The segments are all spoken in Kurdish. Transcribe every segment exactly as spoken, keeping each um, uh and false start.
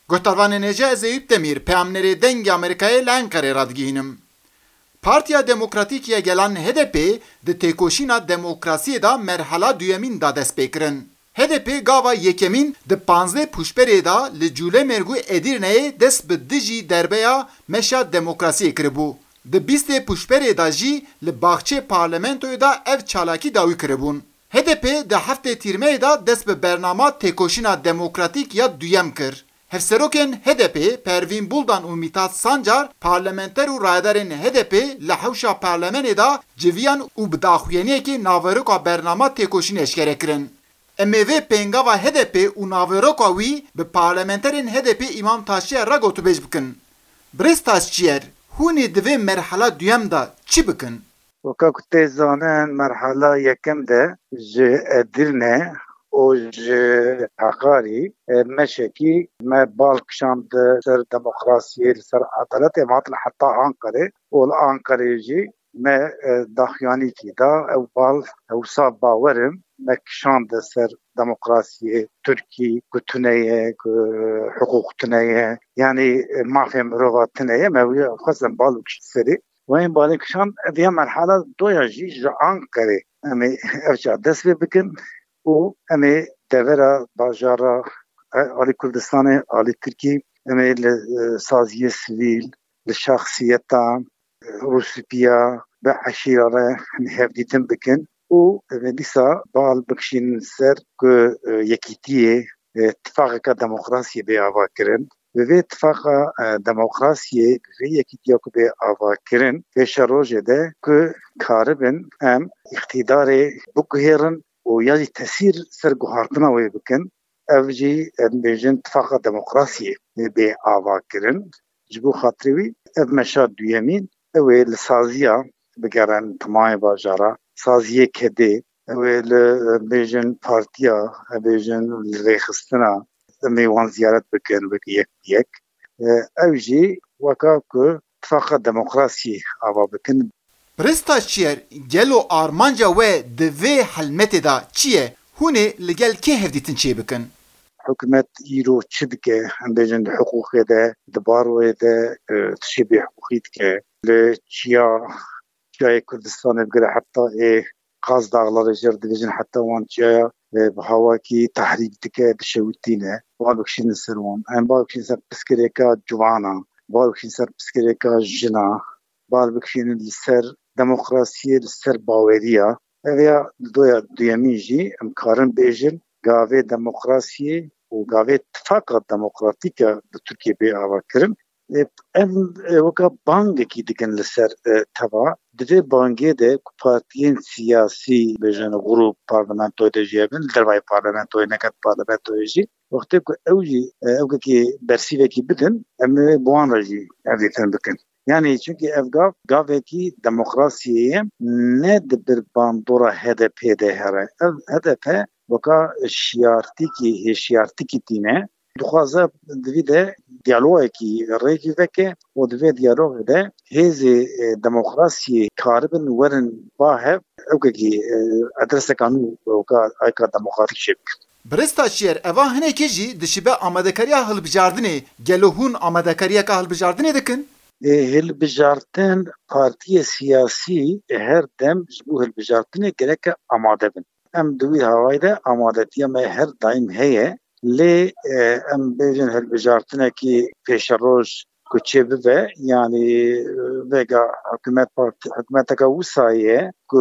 Guhdarvanên hêja, ez Eyüp Demir, peyamnerê Dengê Amerîkayê li Enqerê radigihînim. Partiya Demokratîk ya Gelan H D P di têkoşîna demokrasiyê de merhala duyemîn da dest pê kirin. H D P gava yekemîn di panzdeh Pûşberê de li Cûlemêrg û Edirneyê dest bi dijî derbeya meşa demokrasiyê kiribû. Di bîstê Pûşberê de jî li baxçê parlamentoyê de ev çalakî dawî kiribûn. H D P di heftê Tîrmeyê de dest bi bernama têkoşîna demokratîk ya duyem kir. Hevserokên H D P Pervîn Buldan û Mithat Sancar, parlamenter û rayedarên H D P li hewşa parlamenê de civiyan û bi daxuyaniyekê naveroka bernama têkoşînê eşkere kirin. Em ê vê pêngava H D P û naveroka wî bi parlamenterên H D P Îmam Taşçiyer re gotûbêj bikin. Birêz Taşçiyer, hûn ê di vê merhala duyem de çi bikin? Weka ku tê zanîn, merhala yekem de ji Edirne û ji Heqarî, e, meşekî me bal kişand ser demokrasiyê, li ser edaletê, em hatin heta Anqerê û li Anqerê jî me, e, daxuyanîkî da. Ew bal, ew wisa bawer im, me kişand ser demokrasiyê, Tirkî ku tune ye, ku hiqûq tune ye, yanî, e, mafê mirova tune ye, me wî xwest em bal bikişin serî. Wayên balê kişan, ev ya merhala doya jî ji Anqerê em ê ev çar dest pê bikin û em ê devera bajara, e, alî Kurdistanê, alî Tirkî, em ê li, e, saziyê sivîl, li şexsiyetan, e, rûspîya, bi eşîra re hevdîtin bikin û em ê dîsa bal bikişînin ser ku, e, yekîtiyê, e, tifaqeke demokrasiyê bê avakirin. Bi vê tifaqa, e, demokrasiyê, bi vê yekîtiya ku bê avakirin, pêşerojê de ku karibin em îqtîdarê biguhêrin û ya jî tesîr ser guhartina wê bikin, ev jî, em bêjin, tifaqa demokrasiyê bê avakirin. Ji bo xatirê wî ev meşa duyemîn, ew ê li saziya bigerin, timayê bajara, saziyê kedê, ew ê li, em bêjin, partiya, em bêjin, li rêxistina, em ê wan ziyaret bikin wek yek bi yek. E, ew jî weka ku tifaqa demokrasiyê ava bikin. Birêz Taşçiyer, gelo armanca we di vê helmetê de çi ye? Hûn ê li gel kê hevdîtin çêbikin? Hikûmet îro çi dike? Em bêjin di hiqûqê de, di baroyê de, e, tiştê bêhiqûqî dike. Li çiya, çiyayê Kurdistanê bigire heta ê Qaz Dağlarê jê re dibêjin, heta wan çiyaya, e, bi hawakî tehrîk dike, dişewitîne. Bal bikişînin ser wan. Em bal bikişînin ser pirsgirêka ciwana, bal bikişînin ser pirsgirêka jina, bal bikişînin li ser demokrasiyê, li ser baweriya. Ev ya doya duyemîn jî em karin bêjin, gavê demokrasiyê û gavê tifaqa demokratîk ya li Tirkiyê bê avakirin. E, em, e, weka bangekî dikin li ser, e, teva. Di vê bangê de ku partiyên siyasî, bêjin, grûp parlamentoyê de jî hebin, li dervayê parlamentoyê, neket parlamentoyê jî, wextê ku ew jî, e, ewkekî bersîvekî bidin, em ê bi wan re jî hevdîtin bikin. Yanî çunkî ev gav, gavekî demokrasiyê ye, ne di bir bandora H D P de here. Ev H D P weka şiyartîkî, hêşiyartîkî tîne. Dixwaze di vî de diyalogekî rêkî veke û di vê diyalogê de hêzê, e, demokrasiyê karibin werin ba hev, ewkekî, e, adreseka nû weka ayka demokratîk çêbikin. Birêz Taşçiyer, eva hinekê jî dişibe amadekariya hilbijardinê. Gelo hûn amadekariyeka hilbijardinê dikin? E, hilbijartin, partiyê siyasî, e, her dem ji bo hilbijartinê gereke amade bin. Em di wî hawayî de amadetiya me her daîm heye. Lê, e, em bêjin hilbijartinekî pêşeroj ku çêbibe, yanî, e, vêga hikûmet part-, hikûmeteke wisa ye ku,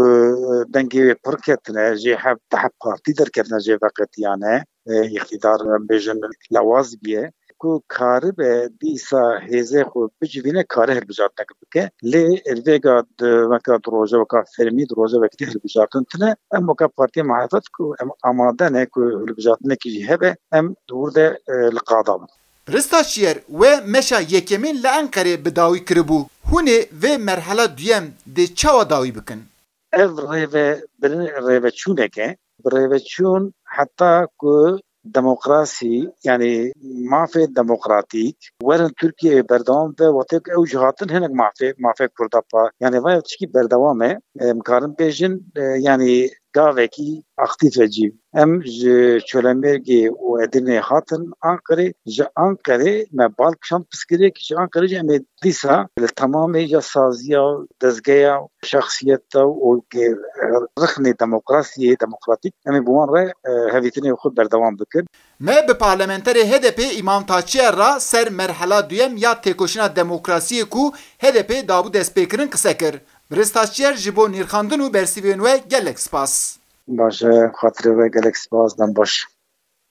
e, dengê wê pir ketine, jê hev deh partî derketine, jê veqetiyane, e, îqtîdar, em bêjin, lewaz bûye, ku karibe dîsa hêzê xwe bicivîne, kare hilbijartineke bike. Lê vêga di, weka di roja weka fermî, di roja wekî dî hilbijartin tune. Em weka Partiya Muhalefet ku em amade ne ku hilbijartinekî jî hebe, em di wir de, e, li qada bin. Birêz Taşçiyer, we meşa yekemîn li Enqerê bi dawî kiribû. Hûn ê vê merhala duyem dê çawa dawî bikin? Ev rêve-, rêveçûnek e. Bi rêveçûn heta ku demokrasî, yanî mafê demokratîk, werin Tirkiyeyê berdewam be, wextê ku ew jî hatin hinek mafê, mafê Kurda pa, yanî vaya tişkî berdewam e. Em karin bêjin, e, yanî Gavekî aktîf e cî. Em ji Çolemêrgê û Edirnê hatin Anqerê. Ji Anqerê me bal kişand pirsgirêk, ji Anqerê jî em ê dîsa li temamê ya saziya, dezgeya, şexsiyeta û ge-, rixnê demokrasiyê, demokratîk, em ê bi wan re, e, hevîtinê xwe berdewam bikin. Me bi parlamenterê H D P Îmam Taçiyer re ser merhela duyem ya têkoşîna demokrasiyê ku H D P dabû destpêkirin qise kir. Birêz Taçiyer, ji bo nirxandin û bersivên we gelek spas. Baş e, xatirê we gelek spas, dem baş.